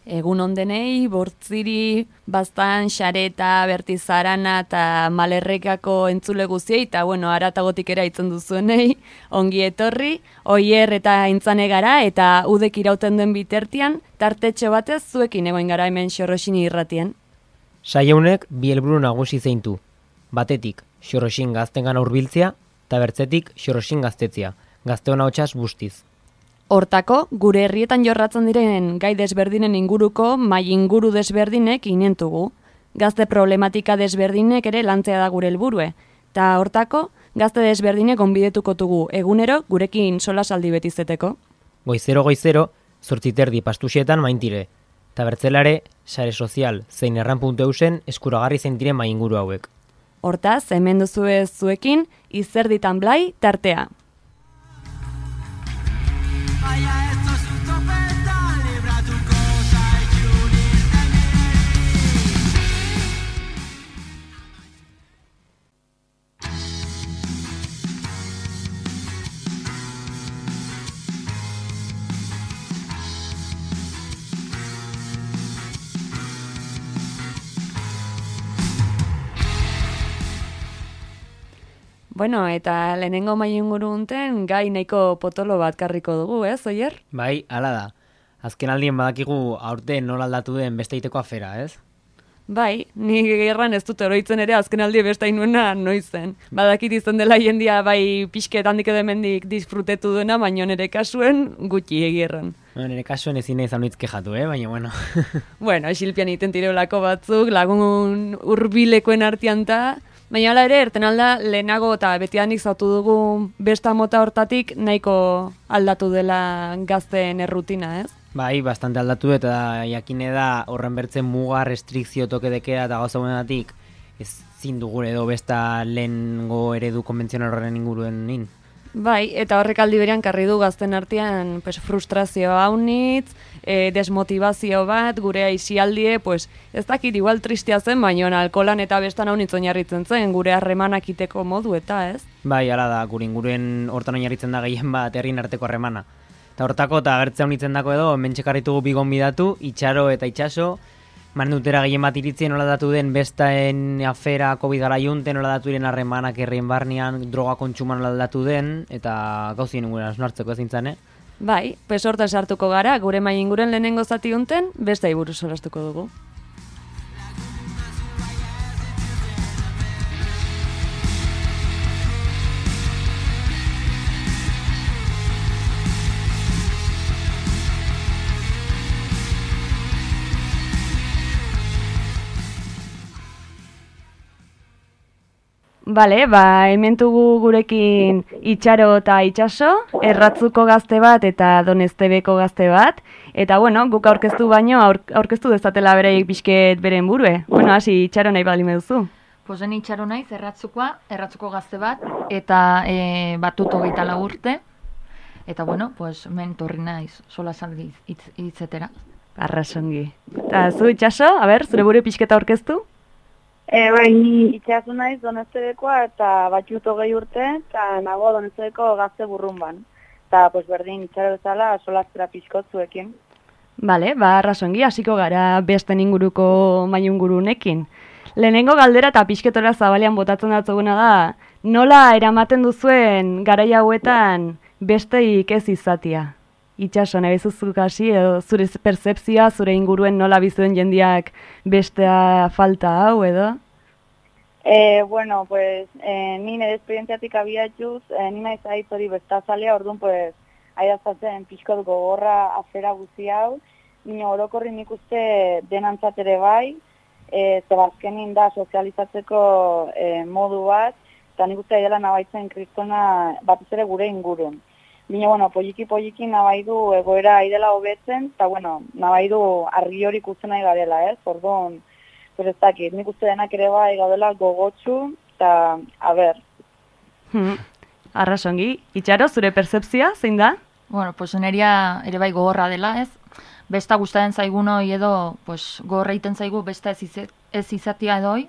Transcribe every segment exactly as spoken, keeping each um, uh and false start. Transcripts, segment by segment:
Egun ondenei, bortziri, bastan, xareta, bertizarana eta malerrekako entzule guziei, eta bueno, aratagotik era itzen duzuenei, ongi etorri, oier eta intzane gara, eta udek irauten den bitartean, tartetxo batez zuekin egoin gara hemen Xorroxini irratien. Saieunek bi helburu nagusi zeintu. Batetik, Xorroxin gaztengan hurbiltzea, eta bertzetik Xorroxin gaztetzea, gazteon ahotsaz bustiz. Hortako, gure herrietan jorratzen diren gai desberdinen inguruko mai inguru desberdinek inentugu. Gazte problematika desberdinek ere lantzea da gure helburue. Ta hortako, gazte desberdinek onbidetuko dugu egunero gurekin solasaldi betizeteko. Goizero goizero, zortziterdi pastuxetan maintire. Ta bertzelare, sare sozial zein erran puntu eusen eskuragarri zeintire mai inguru hauek. Hortaz, hemen duzue zuekin, izerditan blai tartea. Vaya, esto es un topeta, libra tu cosa y unirte a mí. Bueno, eta lehenengo mai inguru unten gai nahiko potolo bat karriko dugu, ez, Oier? Bai, hala da. Azken aldien badakigu aurten nola aldatu den besteiteko afera, ez? Bai, ni gerran ez dut oroitzen ere azken aldi beste nuena noizen. Badakit izan dela jendia bai pixket handik edo hemendik disfrutetu duena, baina nire kasuen gutxi egierran. No, nire kasuen ezin izan nuitz kejatu, eh? Baina, bueno. Bueno, esilpian iten tireolako batzuk, lagun hurbilekoen artean ta, baina hala ere, erten alda lehenago eta betianik zautu dugu besta mota hortatik nahiko aldatu dela gazteen errutina, ez? Bai, bastante aldatu eta jakine da horren bertzen muga, restrikzio toke dekea eta gauza buenatik ezin dugu edo besta lehengo eredu konbentzional horren inguruen nin. Bai, eta horrek aldi berean karri du gazten artean pues, frustrazio haunitz, e, desmotivazio bat, gure aisialdie, pues, ez dakit igual tristea zen, baina alkolan eta bestan haunitz oinarritzen zen, gure harremanak iteko modu eta, ez? Bai, hala da, gure inguruen hortan oinarritzen da gehien bat herrin arteko harremana. Eta hortako eta agertzea unitzen dako edo, mentxekarritugu bigon bidatu, itxaro eta itxaso, maren dutera gehien bat iritzien nola datu den bestaen afera COVID gara junten, nola datu diren harremanak herrien barnean, droga kontsuman nola datu den, eta gauzien inguren asnartzeko ezintzen, eh? Bai, pues hortan sartuko gara, gure mai inguren lehenengo zati unten, besta iburu solastuko dugu. Bale, ba, hementugu gurekin itxaro eta itxaso, erratzuko gazte bat eta doneztebeko gazte bat, eta bueno, guk aurkeztu baino, aur, aurkeztu dezatela bereik pixket beren burue. Bueno, hasi itxaro nahi bali meduzu. Pozen itxaro naiz, erratzukoa, erratzuko gazte bat, eta e, batut hogeita lau urte, eta bueno, pues, men torri naiz, sola saldi hitz, hitzetera. Arrasongi. Eta zu itxaso, a ber, zure buru pixketa aurkeztu? E, bai, ni itxasu naiz Doneztebekoa eta batxut hogei urte, eta nago Doneztebeko gazte burrunban. Eta, pues, berdin, itxaro bezala, solaztera pixkot zuekin. Bale, ba, arrasongi, hasiko gara besten inguruko maiungurunekin. Lehenengo galdera eta pixketora zabalean botatzen datzuguna da, nola eramaten duzuen garai hauetan besteik ez izatia? Itxaso, nahi zuzuk hasi, edo zure pertzepzioa, zure inguruen nola bizuen jendiak bestea falta hau, edo? E, bueno, pues, e, ni nire esperientziatik abiatuz, e, ni naiz aiz hori bestazalea, orduan, pues, aidazatzen pixkot gogorra afera guzi hau, nina orokorri nik uste denantzat ere bai, e, zebazkenin da sozializatzeko e, modu bat, eta nik uste dela nabaitzen kristona batez ere gure ingurun. Bina, bueno, poliki-poliki nabai du egoera aidela hobetzen, eta, bueno, nabai du argi hori ikusten nahi garela, ez? Orduan, pues ez dakit, nik uste denak ere bai gaudela gogotsu, eta, a ber. Hmm. Arrasongi, itxaro, zure pertzepzioa, zein da? Bueno, pues neria ere bai gogorra dela, ez? Besta gustatzen zaigunoi edo, pues, gogorra egiten zaigu besta ez, izet, ez izatia edoi,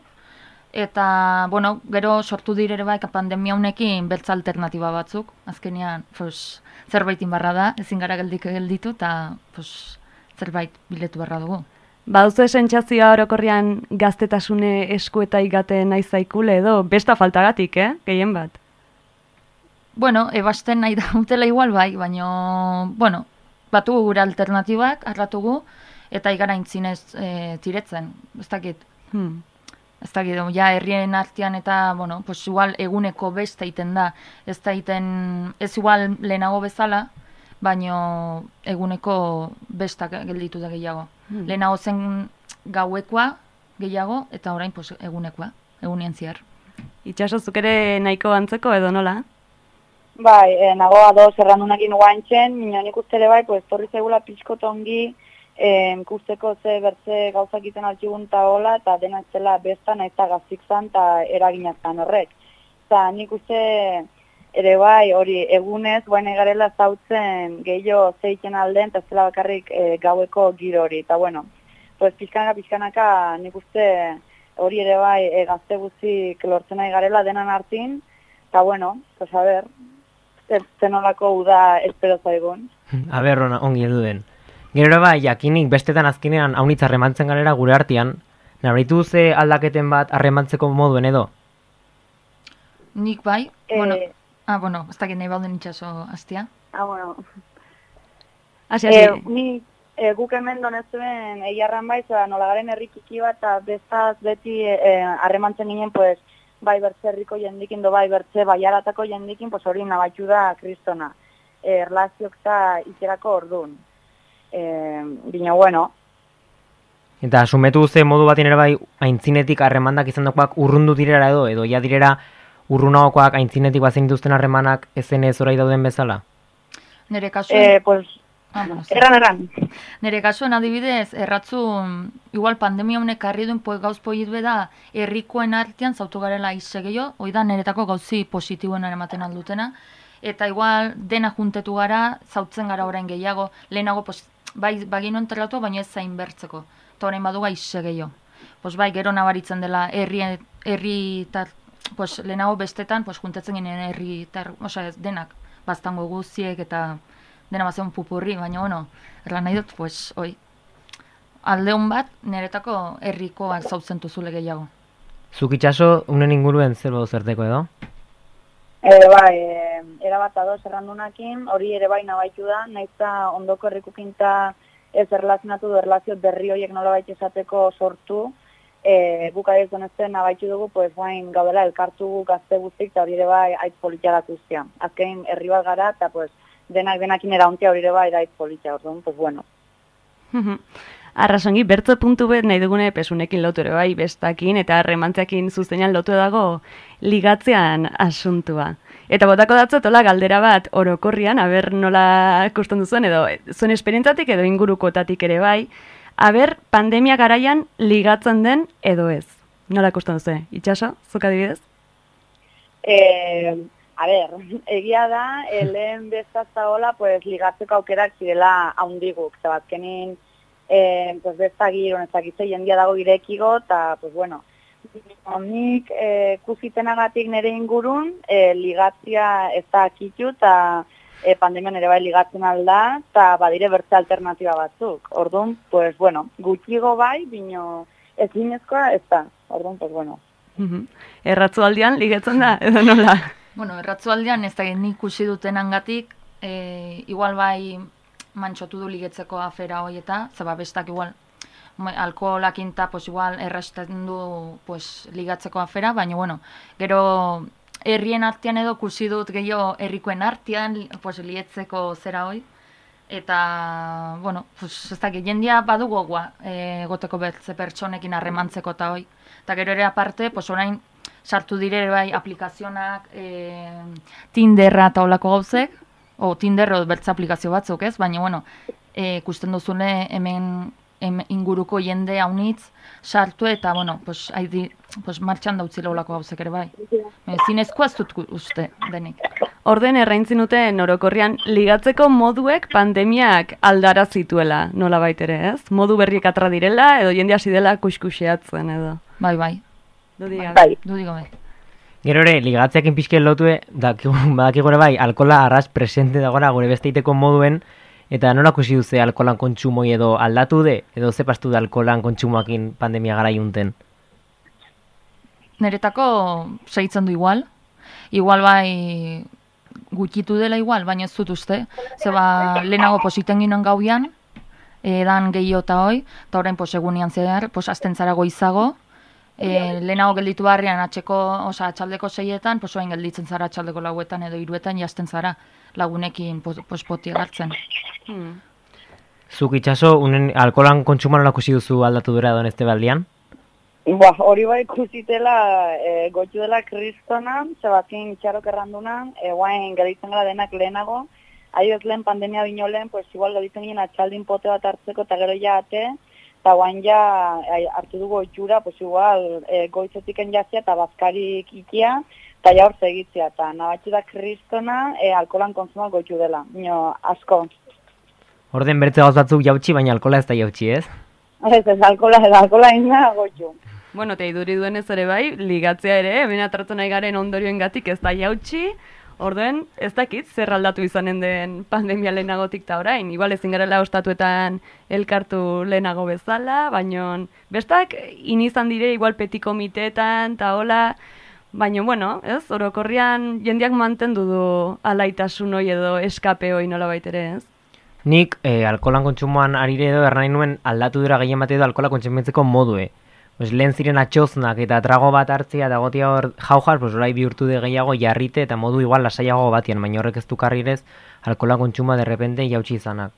eta, bueno, gero sortu dire bai pandemia honekin beltza alternatiba batzuk. Azkenean, pues, zerbaitin barra da, ezin gara geldik gelditu, eta, pues, zerbait biletu beharra dugu. Baduzu sentsazioa orokorrean gaztetasune eskueta igaten nahi zaikule edo besta faltagatik, eh? Gehien bat. Bueno, ebasten nahi da utela igual bai, baino, bueno, batugu gure alternatibak, arratugu, eta igara intzinez e, tiretzen, ez dakit. Hmm. Ez dakit, ja, herrien artean eta, bueno, pues igual eguneko besta egiten da, ez da egiten, ez igual lehenago bezala, baino eguneko besta gelditu da gehiago. Hmm. Lehenago zen gauekoa gehiago, eta orain pues, egunekoa, egunien zehar. Itxaso, zuk ere nahiko antzeko edo nola? Bai, e, nago ados errandunakin guantxen, minio nik uste ere bai, pues, torri zegula pixko tongi, e, ikusteko ze bertze gauzak iten altxigun eta hola, eta dena etzela besta nahiz eta gaztik zan, eta eraginazkan horrek. Eta nik uste ere bai, hori egunez, guain egarela zautzen gehiago zeiten alden, eta ez zela bakarrik e, gaueko giro hori. Eta bueno, pues, pixkanaka, pixkanaka nik uste hori ere bai e, gazte guztik lortzen nahi garela denan hartin, eta bueno, pues a ber, zenolako uda espero zaigun. A ber, ona, ongi heldu den. Gero bai, jakinik bestetan azkenean haunitz harremantzen garela gure artean, nabaritu ze aldaketen bat harremantzeko moduen edo? Nik bai, Eh, bueno, ah, bueno, ez dakit nahi bauden itxaso hastia. Ah, bueno. Hasi, hasi. Eh, ni e, guk hemen donezuen eiarran bai, zera nolagaren herrikiki bat, eta bestaz beti harremantzen ginen, pues, bai bertze herriko jendikin, do bai bertze baiaratako jendikin, pues hori nabaitu da kristona. E, erlaziok eta ikerako orduan. E, Bina, bueno, Eta sumetu ze modu batin ere bai aintzinetik harremandak izan dakoak urrundu direra edo, edo ja direra urrunagokoak aintzinetik bazen dituzten harremanak ezen ez orai dauden bezala? Nere kasuen, e, pues, ah, bueno, ze. erran, erran. Nere kasuen adibidez, erratzu, igual pandemia honek karri duen po, gauz poiet da, herrikoen artean zautu garela izse gehiago, hoi da niretako gauzi positiboen ematen aldutena, eta igual dena juntetu gara, zautzen gara orain gehiago, lehenago, pues, bai, bagino enterratu, baina ez zain bertzeko, eta orain baduga izse gehiago. Pues bai, gero nabaritzen dela, herri, herri tar, pues, lehenago bestetan, pues, juntetzen ginen herri, tar, osea, denak, baztango guziek eta dena bazen pupurri, baina, bueno, erran nahi dut, pues, oi, aldeun bat, niretako herrikoak zautzen duzule gehiago. Zuk itxaso, unen inguruen zer badu zerteko edo? E, bai, e, erabat ados errandunakin, hori ere bai nabaitu da, nahiz eta ondoko herrikukinta ez erlazionatu du erlazio berri horiek nolabait esateko sortu, e, guk adez donezten nabaitu dugu, pues, bain gaudela elkartu gazte guztik, eta hori ere bai aitz politia guztia. Azkein herri bat gara, eta pues, denak denakin erauntia hori ere bai aitz politia, orduan, pues bueno. Arrasongi, bertzo puntu bet nahi dugune pesunekin lotu ere bai, bestakin eta harremantzeakin zuzenean lotu dago ligatzean asuntua. Eta botako datzotola galdera bat orokorrian, aber nola ikusten duzuen, edo zuen esperientzatik edo ingurukotatik ere bai, aber pandemia garaian ligatzen den edo ez. Nola ikusten duzu? Itxaso, zuk adibidez? Eh, a ber, egia da, lehen bestazta hola, pues, ligatzeko aukerak zirela haundiguk, eta bazkenin, eh, pues, besta giron, ezakitze jendia dago irekigo, eta, pues, bueno, nik eh, kuzitenagatik nire ingurun, eh, ligatzia ez da akitu, eta eh, pandemian ere bai ligatzen alda, eta badire bertze alternatiba batzuk. Orduan, pues, bueno, gutxigo bai, bino ez zinezkoa ez da. Orduan, pues, bueno. Erratzu aldian ligatzen da, edo nola? Bueno, erratzualdean ez da nik ikusi dutenangatik, e, igual bai mantxotu du ligetzeko afera hoi eta, zaba bestak igual alkoholakinta, pues igual errasten du pues, ligatzeko afera, baina bueno, gero herrien artean edo ikusi dut gehiago herrikoen artean, pues lietzeko zera hoi, eta, bueno, pues ez dakit, jendia badu gogoa e, goteko bertze pertsonekin harremantzeko eta hoi, eta gero ere aparte, pues orain sartu dire bai aplikazionak, e, Tinderra eta olako gauzek, o Tinder o bertze aplikazio batzuk ez, baina bueno, e, ikusten duzune hemen, hemen inguruko jende haunitz sartu eta, bueno, pues, haidi, pues martxan dautzila olako gauzek ere bai. E, zinezkoa ez dut uste denik. Orden erraintzin duten orokorrian ligatzeko moduek pandemiak aldara zituela, nola baitere, ez? Modu berriek atra direla, edo jende hasi dela kuskuxeatzen, edo. Bai, bai. Dudi gabe. Bai. Dudi gabe. Gero ere, ligatzeakin pixken lotue, dakigu ere bai, alkola arras presente dagoela gure besteiteko moduen, Eta nola ikusi duze alkoholan kontsumoi edo aldatu de, edo ze pastu da alkoholan kontsumoakin pandemia gara junten? Neretako segitzen du igual. Igual bai gutxitu dela igual, baina ez dut uste. Zeba lehenago positen ginen gauian, edan gehiago eta hoi, eta orain pos egunian zehar, pos azten zara goizago, e, lehenago gelditu barrian atxeko, oza, atxaldeko seietan, pos orain gelditzen zara atxaldeko lauetan edo hiruetan jazten zara lagunekin pos, pos poti hartzen. Hmm. Zuk itxaso, unen alkoholan kontsumoan nola ikusi duzu aldatu dura edo este baldian? Ba, hori bai ikusitela e, goitu dela kristona, Sebastian itxarok erranduna, e, guain geditzen gara denak lehenago, adibidez lehen pandemia bino lehen, pues igual geditzen ginen atxaldin pote bat hartzeko eta gero ja ate, eta guain ja e, hartu dugu itxura, pues igual e, goitzetiken jazia eta bazkarik ikia, eta ja hor segitzia, eta nabatxu da kristona e, alkoholan konsumoa goitu dela, bino asko. Orden bertze gauz batzuk jautsi, baina alkohola ez da jautsi, ez? Ez, ez, alkohola, ez, alkohola ina goitu. Bueno, eta iduri duenez ere bai, ligatzea ere, hemen atratu nahi garen ondorioengatik ez da jautsi, orduen ez dakit zer aldatu izanen den pandemia lehenagotik ta orain. Igual ezin garela ostatuetan elkartu lehenago bezala, baino bestak inizan dire igual peti komiteetan ta hola, baino bueno, ez, orokorrian jendeak mantendu du alaitasun hoi edo eskape hoi nolabait ere, ez? Nik eh, alkoholan kontsumoan arire edo ernahi nuen aldatu dura gehien bat edo alkohola kontsumitzeko modue. Pues lehen ziren atxoznak eta trago bat hartzia eta gotia hor jaujar, pues orai bihurtu de gehiago jarrite eta modu igual lasaiago batian, baina horrek ez du karrirez alkohola kontsuma derrepente jautsi izanak.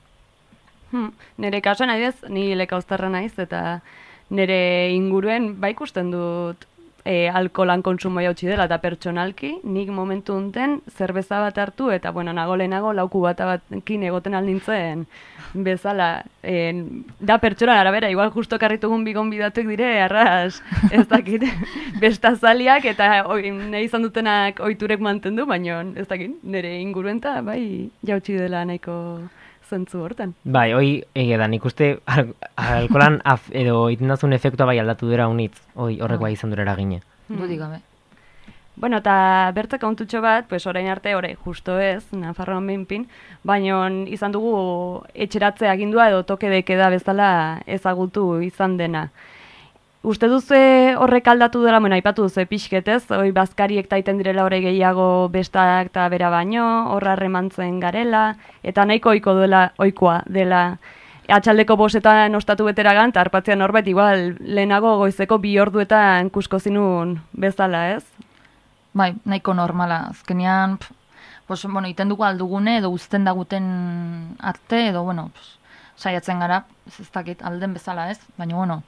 Hmm. Nere kasuan adibidez, ni lekauztarra naiz eta nere inguruen ba ikusten dut e, alkoholan kontsumo jautsi dela eta pertsonalki, nik momentu unten zerbeza bat hartu eta bueno, nago lehenago lauku bat batkin egoten aldintzen bezala. E, da pertsona arabera, igual justo karritugun bigon bidatuek dire, arras, ez dakit, bestazaliak eta oi, nahi izan dutenak ohiturek mantendu, baina ez dakit, nire inguruen eta bai jautsi dela nahiko zentzu hortan. Bai, hoi ege da, nik uste al alkoholan af, edo itendazun efektua bai aldatu dira unitz, hoi horrek bai izan dura eragine. Dudik gabe. Bueno, eta bertze kontutxo bat, pues orain arte, orain justo ez, Nafarroan behinpin, baina izan dugu etxeratze agindua edo toke dekeda bezala ezagutu izan dena. Uste duzu horrek aldatu dela, bueno, aipatu duzu pixketez, hoi bazkariek taiten direla horre gehiago bestak eta bera baino, horra remantzen garela, eta nahiko ohiko dela, ohikoa dela, atxaldeko bosetan ostatu beteragan, eta harpatzean norbait igual lehenago goizeko bi orduetan kusko zinun bezala, ez? Bai, nahiko normala. Azkenean, pf, pues, bueno, iten dugu aldugune edo uzten daguten arte, edo, bueno, pues, saiatzen gara, ez, ez dakit, alden bezala ez, baina, bueno,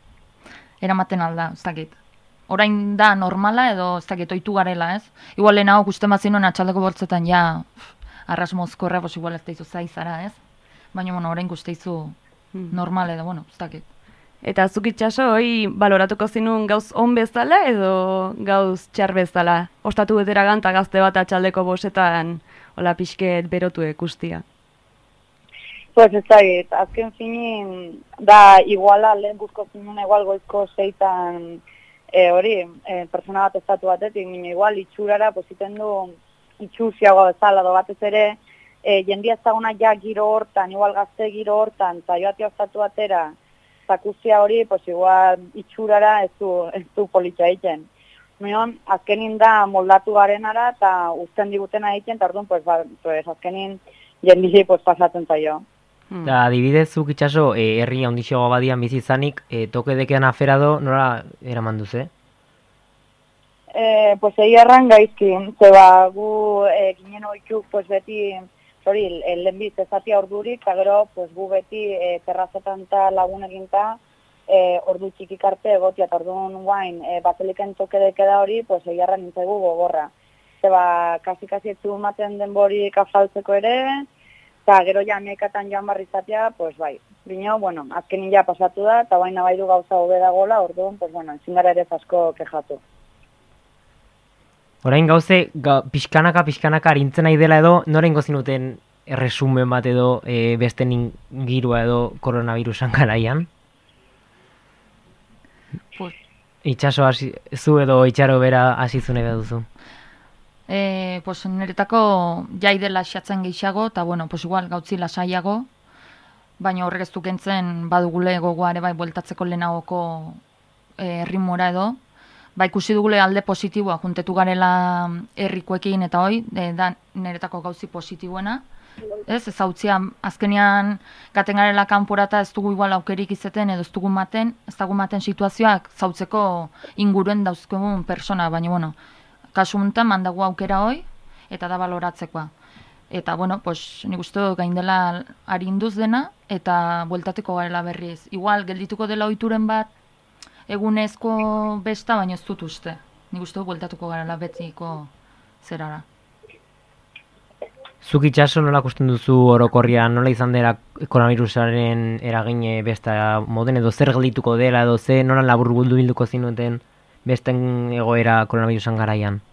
eramaten alda, ez dakit. Orain da normala edo ez dakit, ohitu garela ez. Igual lehenago gusten bat zinuen atxaldeko bortzetan, ja, pf, arras mozkorra, pues, igual ez daizu zaizara ez. Baina, bueno, orain guzteizu normal edo, bueno, ez dakit. Eta zuk itxaso, hoi baloratuko zinun gauz on bezala edo gauz txar bezala? Ostatu beteragan eta gazte bat atxaldeko bosetan hola pixket berotu ikustia. Pues ez dakit, azken finin da iguala lehen guzko zinun igual goizko seitan e, hori, e, persona bat estatu batetik, nina igual itxurara positen du itxusiago bezala do batez ere e, jendia ezaguna ja giro hortan, igual gazte giro hortan, eta joatia ostatu batera, zakusia hori, pues igual itxurara ez du, ez du politxa egiten. Mion, azkenin da moldatu garenara eta uzten digutena egiten, eta orduan, pues, ba, pues, azkenin jendiri pues, pasatzen zaio. Hmm. Da, adibidez, zuk itxaso, eh, herri handixoago badian bizi izanik, eh, toke dekean aferado, nora eraman duze? Eh, pues egi erran gaizkin, zeba gu eh, ginen oitxuk, pues beti, hori, lehenbiz ezatia ordurik, eta gero, pues, gu beti e, terrazetan eta lagun eginta e, ordu txikik arte egotia, eta orduan guain, e, bazeliken toke dekeda hori, pues, egiarra nintzaigu gogorra. Zeba, kasi-kasi etzu maten denborik afaltzeko ere, eta gero ja amiekatan joan barri izatea, pues, bai. Bino, bueno, azkenin ja pasatu da, eta baina bai du gauza hobe dagoela, orduan, pues, bueno, ezin gara ere asko kejatu. Orain gauze, ga, pixkanaka, pixkanaka arintzen nahi dela edo, norengo zinuten erresumen bat edo e, beste ingirua edo koronavirusan garaian? Pues, itxaso hasi, zu edo itxaro bera hasi zune duzu? E, pues, niretako jai dela xatzen gehiago, eta bueno, pues igual gautzi lasaiago, baina horrek ez du kentzen badugule gogoa ere bai bueltatzeko lehenagoko e, ritmora edo, ba ikusi dugule alde positiboa, juntetu garela herrikoekin eta hoi, e, da niretako gauzi positiboena, ez, ez hautzia, azkenean gaten garela kanporata ez dugu igual aukerik izeten edo ez dugu maten, ez dugu maten situazioak zautzeko inguruen dauzkegun persona, baina bueno, kasu honetan mandagu aukera hoi, eta da baloratzekoa. Eta, bueno, pues, nik uste dut gain dela arinduz dena, eta bueltateko garela berriz. Igual, geldituko dela ohituren bat, egunezko besta, baina ez dut uste. Nik uste dut bueltatuko garela betiko zerara. Zuk itxaso nola kusten duzu orokorrian, nola izan dela koronavirusaren eragine besta moden, edo zer geldituko dela, edo ze nola labur guldu bilduko zinuten besten egoera koronavirusan garaian?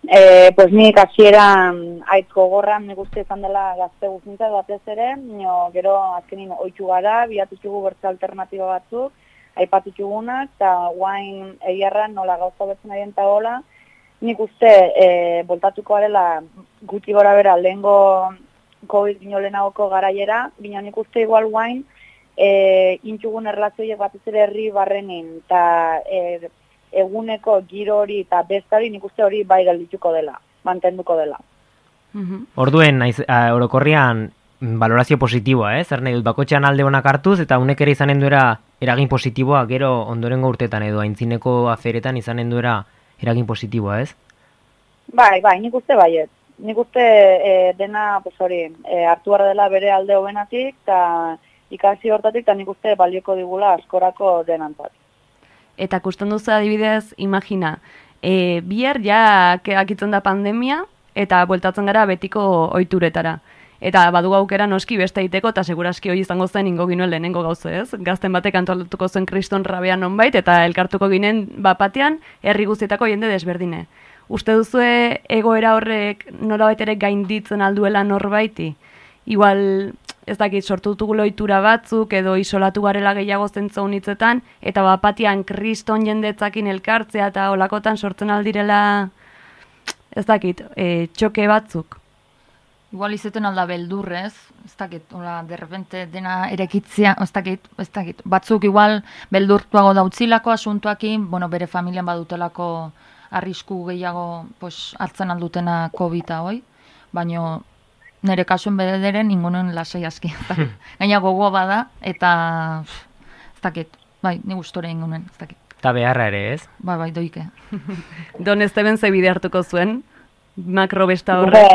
E, pues nik hasiera aitz gogorra nik uste izan dela gazte guztintza batez ere, nio, gero azkenin ohitu gara, biatutxugu bertze alternatiba batzuk, aipatutxugunak, eta guain egiarra nola gauza betzen arien eta gola, nik uste e, voltatuko garela guti gora bera lehengo COVID bino lehenagoko garaiera, bino nik uste igual guain e, intxugun erlazioiek batez ere herri barrenin, eta e, eguneko giro hori eta bestari nik uste hori bai geldituko dela, mantenduko dela. Orduen, naiz, a, orokorrian, valorazio positiboa, eh? Zer nahi dut, bakotxean alde honak hartuz, eta unek ere izanen duera eragin positiboa, gero ondorengo urtetan edo aintzineko aferetan izanen duera eragin positiboa, ez? Bai, bai, nik uste baiet. Nik uste e, dena, pues hori, e, hartu behar dela bere alde hobenatik, eta ikasi hortatik, eta nik uste balioko digula askorako denantzat. Eta kusten duzu adibidez, imagina, e, bihar ja akitzen da pandemia, eta bueltatzen gara betiko ohituretara. Eta badu aukera noski beste egiteko, eta seguraski hori izango zen ingo ginuen lehenengo gauze, ez? Gazten batek antolatuko zuen kriston rabean nonbait, eta elkartuko ginen bapatean herri guztietako jende desberdine. Uste duzue egoera horrek nolabait ere gainditzen alduela norbaiti? Igual, ez dakit, sortu dutugula ohitura batzuk, edo isolatu garela gehiago zentzu hitzetan, eta bapatean kriston jendetzakin elkartzea, eta olakotan sortzen aldirela, ez dakit, e, txoke batzuk. Igual izeten alda beldurrez, ez dakit, hola, derrepente dena erekitzia, ez dakit, ez dakit, batzuk igual beldurtuago dautzilako asuntuakin, bueno, bere familian badutelako arrisku gehiago pues, hartzen aldutena COVID-a hoi, baina nire kasuen bederen ingunen lasai aski. Gaina gogoa bada, eta ez dakit, bai, ni gustore ingunen, ez dakit. Eta beharra ere, ez? Bai, bai, doike. Don Esteban ze bide hartuko zuen, makrobesta horre?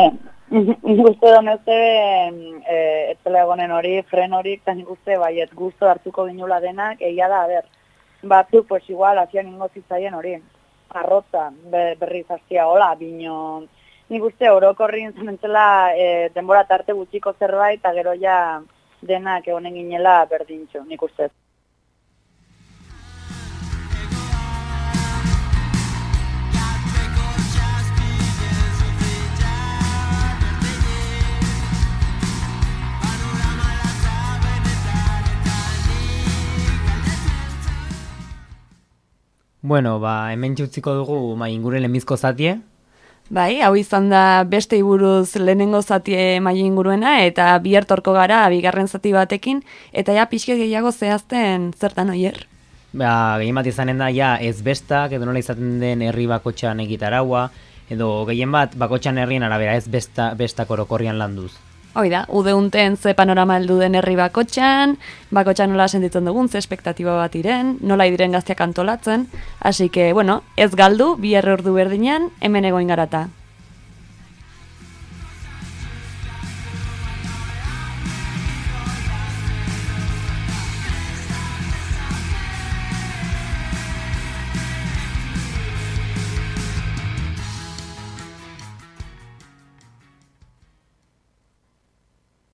Nik uste don Esteban, e, etzela egonen hori, fren hori, eta nik uste baiet gusto hartuko ginula denak, egia da, a ber, batzuk, pues igual, hasian ingo zitzaien hori, arrotza, berriz hastia hola, bino, nik uste orokorrin zenentzela e, denbora tarte gutxiko zerbait, eta gero ja denak egonen ginela berdintxo, nik uste. Bueno, ba, hemen utziko dugu ma ingure lehenbizko zatie. Bai, hau izan da beste buruz lehenengo zatie mai inguruena, eta bihar torko gara bigarren zati batekin, eta ja pixke gehiago zehazten zertan oier. Ba, gehien bat izanen da, ja, ez bestak, edo nola izaten den herri bakotxan egitaraua, edo gehien bat bakotxan herrien arabera ez besta, bestak orokorrian landuz. Hoi da, udeunten ze panorama heldu den herri bakotxan, bakotxan nola sentitzen dugun, ze espektatiba bat iren, nola idiren gazteak antolatzen, hasi que, bueno, ez galdu, bihar ordu berdinean, hemen egoin garata.